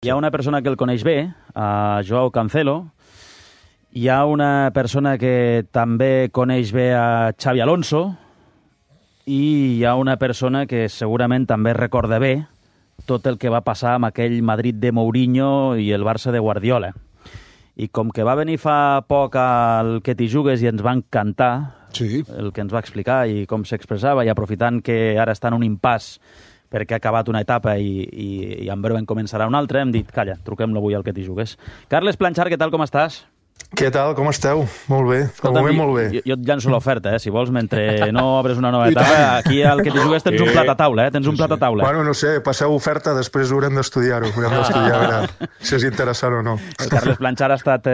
Hi ha una persona que el coneix bé, a Joao Cancelo. Hi ha una persona que també coneix bé a Xavi Alonso. I hi ha una persona que segurament també recorda bé tot el que va passar amb aquell Madrid de Mourinho i el Barça de Guardiola. I com que va venir fa poc al Que t'hi jugues i ens va encantar el que ens va explicar i com s'expressava, i aprofitant que ara està en un impàs perquè ha acabat una etapa i en breu en començarà una altra, hem dit, calla, truquem-lo avui al Que t'hi jugues. Carles Planchar, què tal, com estàs? Què tal, com esteu? Molt bé, de moment molt bé. Jo et llanço l'oferta, si vols, mentre no obres una nova etapa, aquí al Que t'hi jugues tens un plat a taula, tens un plat a taula. Bueno, no sé, passeu oferta, després haurem d'estudiar-ho, haurem d'estudiar a veure si és interessant o no. El Carles Planchar ha estat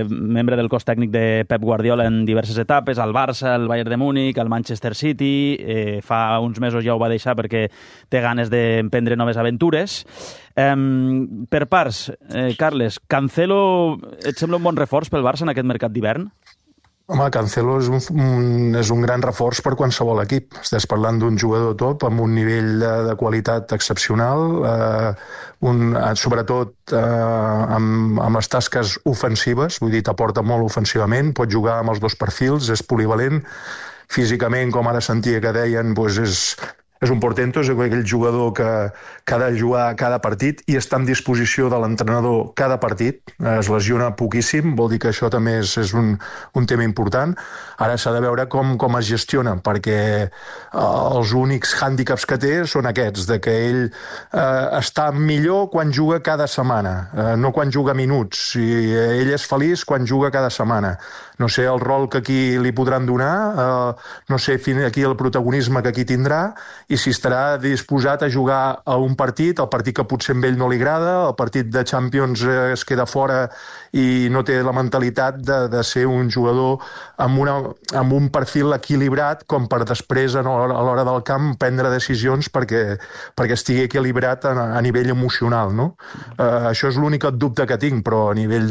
membre del cos tècnic de Pep Guardiola en diverses etapes, al Barça, al Bayern de Múnich, al Manchester City, fa uns mesos ja ho va deixar perquè té ganes d'emprendre noves aventures. Per parts, Carles, Cancelo et sembla un bon reforç pel Barça en aquest mercat d'hivern? Home, Cancelo és un gran reforç per qualsevol equip. Estàs parlant d'un jugador top amb un nivell de qualitat excepcional, sobretot amb les tasques ofensives, vull dir, t'aporta molt ofensivament, pot jugar amb els dos perfils, és polivalent, físicament, com ara sentia que deien, doncs és un portento, és aquell jugador que ha de jugar cada partit i està en disposició de l'entrenador cada partit, es lesiona poquíssim, vol dir que això també és un tema important. Ara s'ha de veure com es gestiona, perquè els únics hàndicaps que té són aquests, de que ell està millor quan juga cada setmana, no quan juga minuts, i ell és feliç quan juga cada setmana. No sé el rol que aquí li podran donar, no sé aquí el protagonisme que aquí tindrà, i si estarà disposat a jugar a un partit, el partit que potser a ell no li agrada, el partit de Champions es queda fora i no té la mentalitat de ser un jugador amb un perfil equilibrat com per després, a l'hora del camp, prendre decisions perquè estigui equilibrat a nivell emocional, no? Això és l'únic dubte que tinc, però a nivell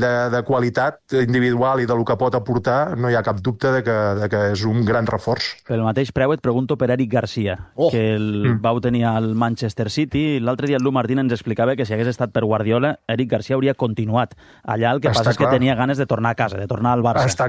de qualitat individual i del que pot aportar no hi ha cap dubte de que és un gran reforç. Pel mateix preu et pregunto per Eric Garcia, que el vau tenir al Manchester City. L'altre dia el Lu Martín ens explicava que si hagués estat per Guardiola, Eric Garcia hauria continuat allà. El que passa és que tenia ganes de tornar a casa, de tornar al Barça. Està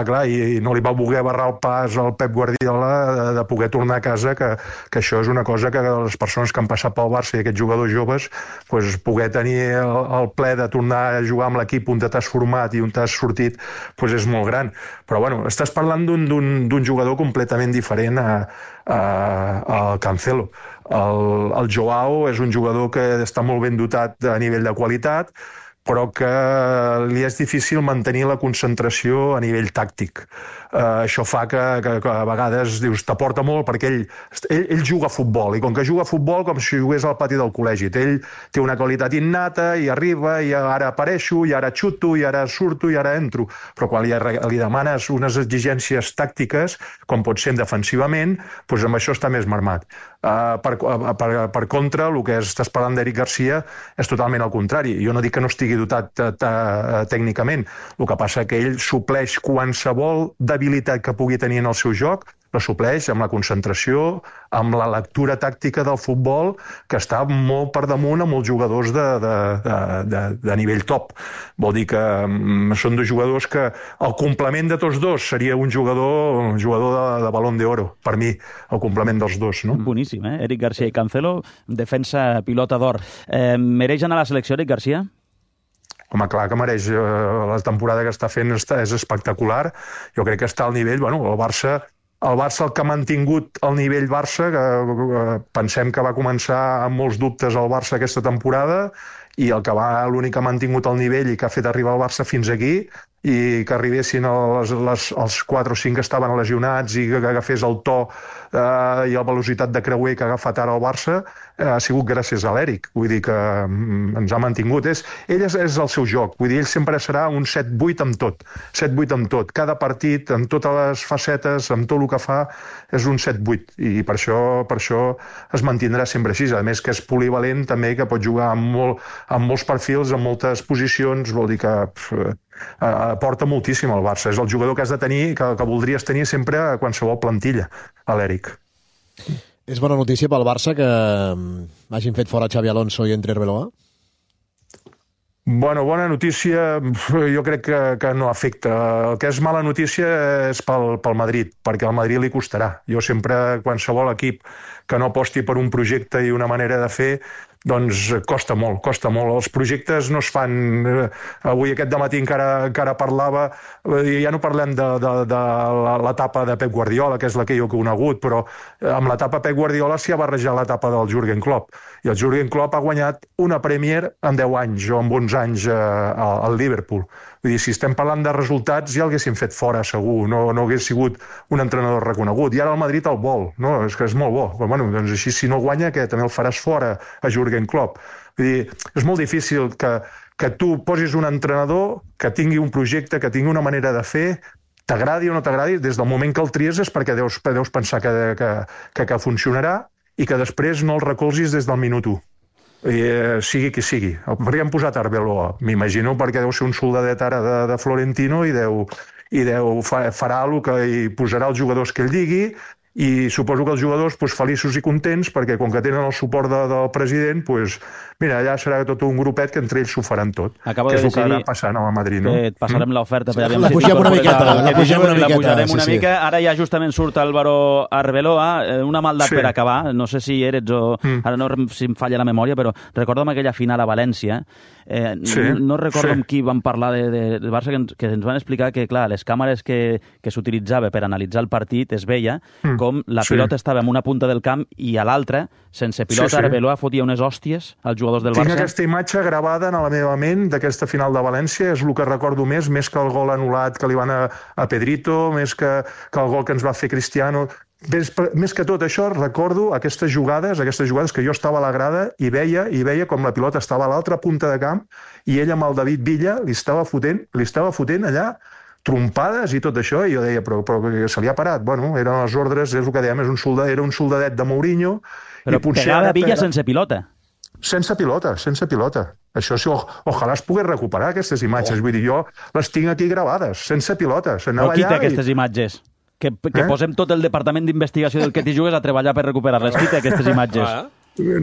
clar, i no li va voler barrar el pas al Pep Guardiola de poder tornar a casa, que això és una cosa que les persones que han passat pel Barça i aquests jugadors joves, poder tenir el ple de tornar a jugar amb l'equip on t'has format i on t'has sortit, és molt gran. Però bueno, estàs parlant d'un jugador completament diferent a Cancelo. El Joao és un jugador que està molt ben dotat a nivell de qualitat, però que li és difícil mantenir la concentració a nivell tàctic. Això fa que a vegades dius, t'aporta molt perquè ell juga a futbol, i com que juga a futbol com si jugués al pati del col·legi. Ell té una qualitat innata i arriba i ara apareixo, i ara xuto, i ara surto, i ara entro. Però quan li demanes unes exigències tàctiques, com pot ser defensivament, doncs amb això està més marmat. Per contra, el que estàs parlant d'Eric Garcia és totalment al contrari. Jo no dic que no estigui dotat tècnicament, el que passa que ell supleix qualsevol debilitat que pugui tenir en el seu joc, la supleix amb la concentració, amb la lectura tàctica del futbol, que està molt per damunt amb els jugadors de nivell top. Vol dir que són dos jugadors que el complement de tots dos seria un jugador de Balón de Oro, per mi, el complement dels dos, no? Boníssim, Eric Garcia i Cancelo, defensa pilota d'or. Mereix anar a la selecció, Eric Garcia? Home, clar que mereix. La temporada que està fent és espectacular. Jo crec que està al nivell, el Barça, el que ha mantingut el nivell Barça, que pensem que va començar amb molts dubtes al Barça aquesta temporada, i l'únic que ha mantingut el nivell i que ha fet arribar el Barça fins aquí, i que arribessin els 4 o 5 que estaven lesionats i que agafés el to i la velocitat de creuer que ha agafat ara el Barça, ha sigut gràcies a l'Eric. Vull dir que ens ha mantingut. Ell és el seu joc. Vull dir, ell sempre serà un 7-8 amb tot. 7-8 amb tot. Cada partit, amb totes les facetes, amb tot el que fa, és un 7-8. I per això es mantindrà sempre així. A més que és polivalent també, que pot jugar amb molts perfils, en moltes posicions. Vol dir que aporta moltíssim al Barça. És el jugador que has de tenir, que voldries tenir sempre a qualsevol plantilla, a l'Eric. És bona notícia pel Barça que hagin fet fora Xavi Alonso i entre Arbeloa? Bueno, bona notícia, jo crec que no afecta. El que és mala notícia és pel Madrid, perquè al Madrid li costarà. Jo sempre, qualsevol equip que no aposti per un projecte i una manera de fer, doncs costa molt, costa molt. Els projectes no es fan... Avui aquest dematí encara parlava, ja no parlem de l'etapa de Pep Guardiola, que és la que jo he conegut, però amb l'etapa Pep Guardiola s'hi ha barrejat l'etapa del Jürgen Klopp. I el Jürgen Klopp ha guanyat una Premier en 10 anys o en 11 anys al Liverpool. Vull dir, si estem parlant de resultats, ja l'haguessin fet fora, segur. No hagués sigut un entrenador reconegut. I ara el Madrid el vol. No? És que és molt bo. Però, bueno, doncs així, si no guanya, que també el faràs fora a Jürgen Klopp. Vull dir, és molt difícil que tu posis un entrenador que tingui un projecte, que tingui una manera de fer, t'agradi o no t'agradi, des del moment que el tries és perquè deus pensar que funcionarà i que després no el recolzis des del minut 1. Sigui qui sigui. Per què hem posat Arbeloa? M'imagino perquè deu ser un soldadet ara de Florentino i farà el que hi posarà els jugadors que ell digui, i suposo que els jugadors feliços i contents perquè com que tenen el suport del president, mira, allà serà tot un grupet que entre ells s'ho faran tot. Acabo que és de el que ha passant a Madrid, no? Et passarem l'oferta per la pugem una miqueta. La pujarem una mica. Ara ja justament surt Álvaro Arbeloa, una maldat per acabar, no sé si eres o... Ara no si em falla la memòria, però recorda'm aquella final a València, no recordo amb qui vam parlar de Barça, que ens van explicar que, clar, les càmeres que s'utilitzaven per analitzar el partit es veia com la pilota estava en una punta del camp i a l'altra, sense pilota, Arbeloa fotia unes hòsties als jugadors del Barça. Tinc aquesta imatge gravada en la meva ment d'aquesta final de València, és el que recordo més que el gol anul·lat que li van a Pedrito, més que el gol que ens va fer Cristiano. Més que tot això, recordo aquestes jugades que jo estava a la grada i veia com la pilota estava a l'altra punta de camp i ell amb el David Villa li estava fotent allà trompades i tot això, i jo deia, però se li ha parat. Bueno, eren les ordres, és el que dèiem, era un soldadet de Mourinho. Però pegava Villa sense pilota. Sense pilota. Això, ojalà es pogués recuperar, aquestes imatges. Vull dir, jo les tinc aquí gravades, sense pilota. Però qui té aquestes imatges? Que posem tot el departament d'investigació del que t'hi jugues a treballar per recuperar-les. Qui té aquestes imatges?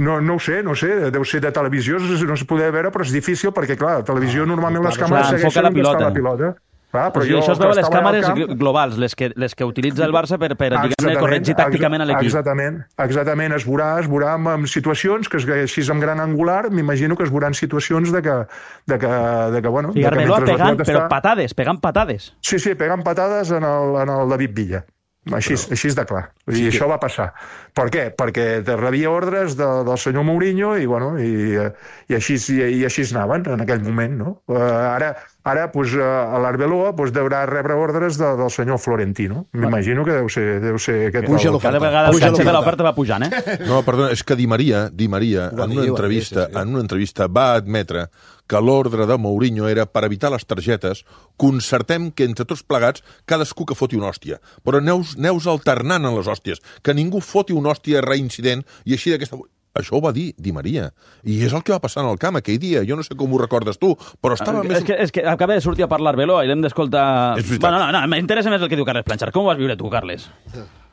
No ho sé, deu ser de televisió, no es poder veure, però és difícil perquè, clar, a televisió normalment les càmeres segueixen on està la pilota. Això es veu a les càmeres globals, les que utilitza el Barça per diguem-ne, corregir tàcticament a l'equip. Exactament, es veurà en situacions que així amb gran angular, m'imagino que es veuran situacions de que bueno... I Arbeloa pegant patades. Sí, pegant patades en el David Villa. Així és de clar. I això va passar. Per què? Perquè rebia ordres del senyor Mourinho i així anaven en aquell moment, no? Ara l'Arbeloa deurà rebre ordres del senyor Florentino. M'imagino que deu ser aquest... Cada vegada el catxet de l'oferta va pujant, No, perdona, és que Di Maria en una entrevista va admetre que l'ordre de Mourinho era, per evitar les targetes, concertem que entre tots plegats cadascú que foti una hòstia. Però neus alternant en les hòsties, que ningú foti una hòstia reincident i així d'aquesta... Això ho va dir Di Maria. I és el que va passar en el camp aquell dia. Jo no sé com ho recordes tu, però estava més... És que acaba de sortir a parlar Arbeloa i l'hem d'escoltar... Bueno, no, m'interessa més el que diu Carles Planchar. Com ho vas viure tu, Carles?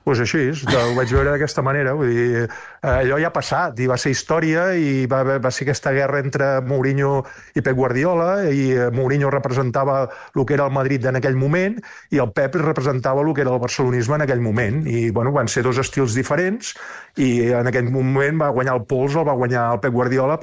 Doncs així, ho vaig veure d'aquesta manera. Vull dir, allò ja ha passat i va ser història i va ser aquesta guerra entre Mourinho i Pep Guardiola i Mourinho representava el que era el Madrid en aquell moment i el Pep representava el que era el barcelonisme en aquell moment. I bueno, van ser dos estils diferents i en aquell moment va guanyar el pols, el va guanyar el Pep Guardiola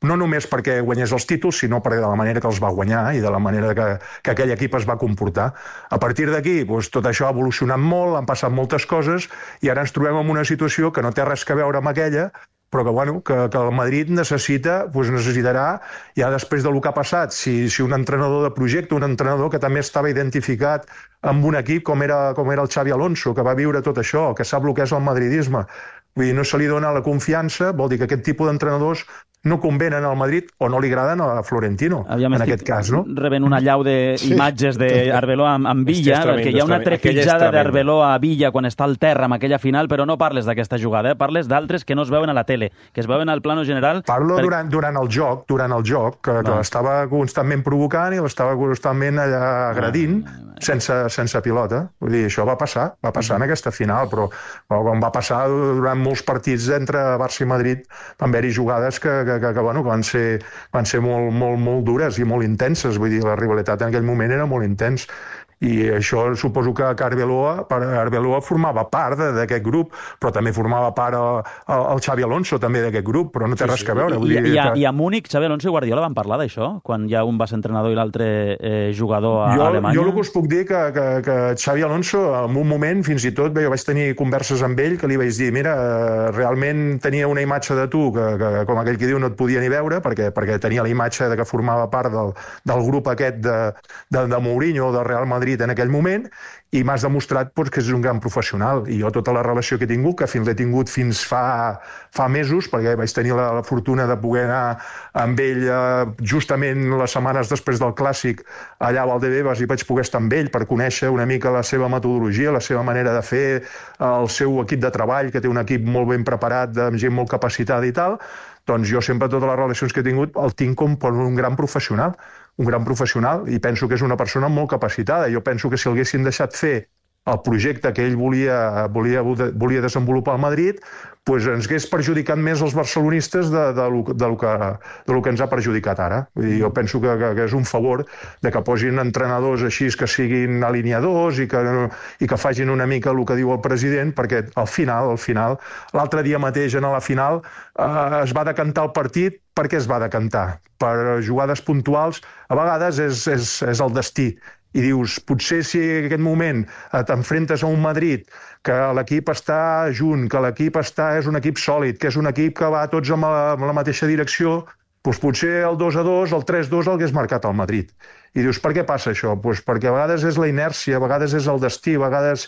no només perquè guanyés els títols, sinó perquè de la manera que els va guanyar i de la manera que aquell equip es va comportar. A partir d'aquí, tot això ha evolucionat molt, han passat moltes coses i ara ens trobem en una situació que no té res a veure amb aquella, però que el Madrid necessitarà, ja després del que ha passat, si un entrenador de projecte, un entrenador que també estava identificat amb un equip com era el Xavi Alonso, que va viure tot això, que sap el que és el madridisme, vull dir, no se li dona la confiança, vol dir que aquest tipus d'entrenadors no convenen al Madrid o no li agraden a Florentino, en aquest cas, no? Rebent una llau d'imatges d'Arbeloa amb Villa, perquè hi ha una trepitjada d'Arbeloa a Villa quan està al terra amb aquella final, però no parles d'aquesta jugada, parles d'altres que no es veuen a la tele, que es veuen al plano general. Parlo durant el joc, que l'estava constantment provocant i l'estava constantment allà agredint sense pilota. Vull dir, això va passar en aquesta final, però quan va passar durant molts partits entre Barça i Madrid van haver-hi jugades que van ser molt dures i molt intenses. Vull dir, la rivalitat en aquell moment era molt intens. I això suposo que Arbeloa formava part d'aquest grup, però també formava part el Xavi Alonso també d'aquest grup, però no té res a veure. I a Múnich, Xavi Alonso i Guardiola van parlar d'això, quan ja un va ser entrenador i l'altre jugador a Alemanya? Jo el que us puc dir que Xavi Alonso, en un moment, fins i tot, jo vaig tenir converses amb ell que li vaig dir, mira, realment tenia una imatge de tu que com aquell que diu no et podia ni veure, perquè tenia la imatge que formava part del grup aquest de Mourinho, del Real Madrid en aquell moment, i m'has demostrat que és un gran professional. I jo tota la relació que he tingut, que l'he tingut fins fa mesos, perquè vaig tenir la fortuna de poder anar amb ell justament les setmanes després del Clàssic allà a Valdebebas, i vaig poder estar amb ell per conèixer una mica la seva metodologia, la seva manera de fer, el seu equip de treball, que té un equip molt ben preparat, amb gent molt capacitada i tal. Doncs jo sempre totes les relacions que he tingut el tinc com per un gran professional, i penso que és una persona molt capacitada. Jo penso que si l'haguessin deixat fer el projecte que ell volia desenvolupar al Madrid, doncs ens hagués perjudicat més els barcelonistes del que ens ha perjudicat ara. Vull dir, jo penso que és un favor de que posin entrenadors així que siguin alineadors i que facin una mica el que diu el president, perquè al final, l'altre dia mateix en la final es va decantar el partit. Per què es va decantar? Per jugades puntuals. A vegades és el destí. I dius, potser si en aquest moment t'enfrentes a un Madrid que l'equip està junt, que l'equip és un equip sòlid, que és un equip que va tots en la mateixa direcció, doncs potser el 2-2, el 3-2 l'hagués marcat el Madrid. I dius, per què passa això? Doncs perquè a vegades és la inèrcia, a vegades és el destí, a vegades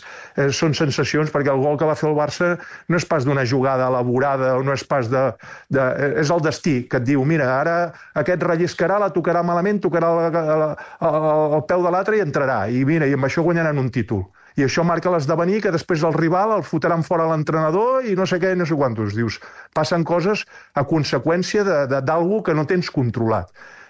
són sensacions, perquè el gol que va fer el Barça no és pas d'una jugada elaborada, o no és pas és el destí que et diu, mira, ara aquest relliscarà, la tocarà malament, tocarà el peu de l'altre i entrarà. I mira, i amb això guanyaran un títol. I això marca l'esdevenir que després el rival el fotran fora l'entrenador i no sé què, no sé quantos. Dius, passen coses a conseqüència d'algú que no tens controlat.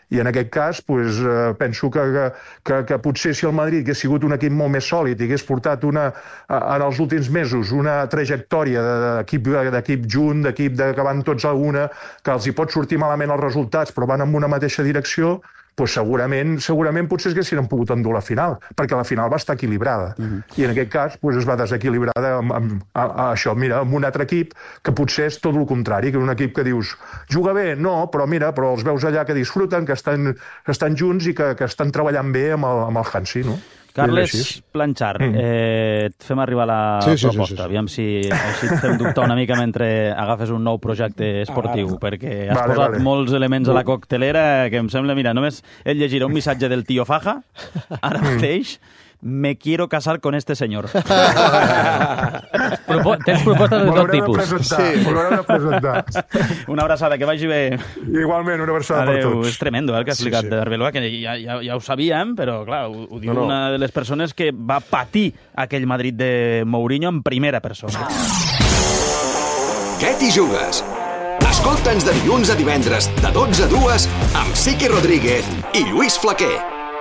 I en aquest cas penso que potser si el Madrid hagués sigut un equip molt més sòlid i hagués portat en els últims mesos una trajectòria d'equip junt, d'equip que van tots a una, que els hi pot sortir malament els resultats però van en una mateixa direcció, doncs segurament potser haguessin pogut endur la final, perquè la final va estar equilibrada. I en aquest cas es va desequilibrar això, mira, amb un altre equip que potser és tot el contrari, que és un equip que dius, juga bé? No, però els veus allà que disfruten, que estan junts i que estan treballant bé amb el Hansi, no? Carles Planchar, et fem arribar la proposta. Aviam si així et fem dubtar una mica mentre agafes un nou projecte esportiu, perquè has posat molts elements a la coctelera que em sembla, mira, només et llegiré un missatge del tio Faja, ara mateix, me quiero casar con este señor. Tens propostes de tot tipus. M'haureu de presentar. Una abraçada, que vagi bé. Igualment, una abraçada per tots. És tremendo el que ha explicat d'Arbeloa, que ja ho sabíem, però clar, ho diu una de les persones que va patir aquell Madrid de Mourinho en primera persona. Què t'hi jugues? Escolta'ns de dilluns a divendres, de 12 a 2, amb Siqui Rodríguez i Lluís Flaquer.